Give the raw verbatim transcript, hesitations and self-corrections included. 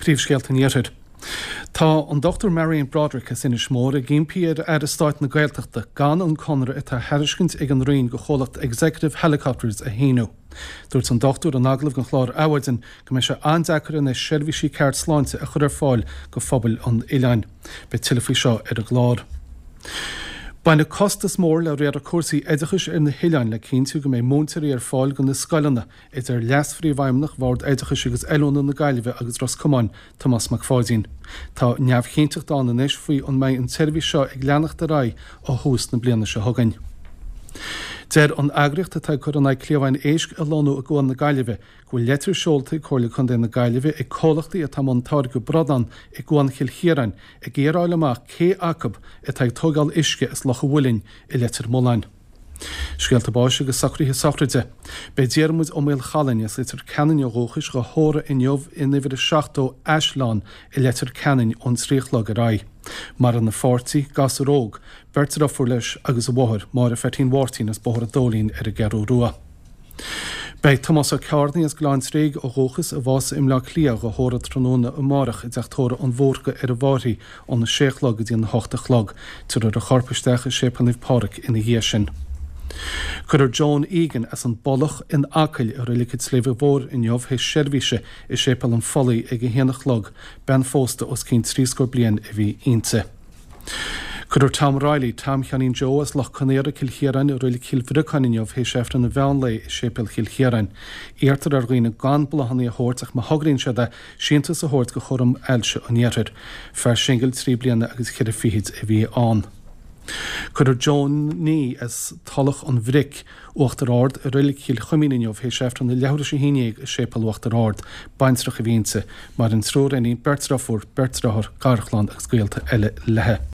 Príomhscéalta an Iarthair. Tá an Dr Marion Broderick as Inis Mór ag impí ar Aire Stáit na Gaeltachta gan an conradh atá á thairiscint ag an Roinn go chomhlacht Executive Helicopters a shíniú. Dúirt an dochtúir in agallamh don chlár Adhmhaidin go mbeidh sé an-deacair anois seirbhísí ceart sláinte a chur ar fáil go phobail an oileáin. Beidh tuilleadh faoi seo ar an gclár. Baineann costas mór le riaradh cúrsaí oideachais ar na hoileáin le cinntiú go mbeidh múinteoirí ar fáil go na scoileanna, a deir Leas-Phríomhfheidhmeannach Bhord Oideachais agus Oiliúna na Gaillimhe agus Ros Comáin, Tomás Mac Pháidín. Tá neamhchinnteacht ann anois faoi an mbeidh an tseirbhís seo ag leanacht ar aghaidh ó thús na bliana seo chugainn. Deir an eagraíocht atá ag cur in aghaidh cliabháin éisc a lonnú i gCuan na Gaillimhe go bhfuil leitir seolta ag Comhairle Contae na Gaillimhe ag comhlachtaí atá i mbun táirgeadh bradán i gCuan Chill Chiaráin ag iarraidh a fháil amach cé acu atá ag tógáil uisce as Loch an Mhuilinn i Leitir Mealláin. Scéalta báis agus socruithe sochraide. Beidh Diarmuid Ó Maolchalainn as Leitir Ceanainn ó dhúchais dhá thórramh inniu in uimhir a seachtó Aisleán i Leitir Ceanainn ón trí a chlog ar aghaidh. Maireann a pháirtí, gasúr óg, beirt deirfiúr leis agus a mháthair, Máire Pheaitín Mháirtín as Bóthar an Dóilín ar an gCeathrú Rua. Beidh Tomás Ó Cearnaigh as Gleann Tréig ó dhúchas, a bhásaigh i mBleá Cliath, dhá thórramh tráthnóna amárach i dteach tórraimh an Bhúrcaigh ar an bhFairche óna sé a chlog go dtí an hocht a chlog. Tabharfar a chorp isteach i Séipéal Naomh Pádraig ina dhiaidh sin. Cuirfear Joan Egan as an bPollach in Acaill i Reilig an tSléibhe Mhóir inniu théis seirbhíse i Séipéal an Phollaigh ag a haon a chlog, bean phósta os cionn trí scór bliain a bhí inti. Cuirfear Tom Reilly, Tom Sheáinín Joe as Loch Conaora, Cill Chiaráin i Reilig Chill Bhriocáin inniu théis Aifreann an mheán lae i Séipéal Chill Chiaráin. Iarrtar ar dhaoine gan bláthanna a thabhairt ach má thograíonn siad é, síntiús a thabhairt go Chúram Ailse an Iarthair. Fear singil trí bliana agus ceithre fichid a bhí ann. Cuirfear Joan as Tulach an Bhric, Uachtar Ard, i Reilig Chill Chuimín inniu théis Aifreann a leathuair théis a haon déag i Séipéal Uachtar Ard. Baintreach a bhí inti. Maireann triúr iníon, beirt deirfiúr, beirt deartháir, garchlann agus gaolta eile léi.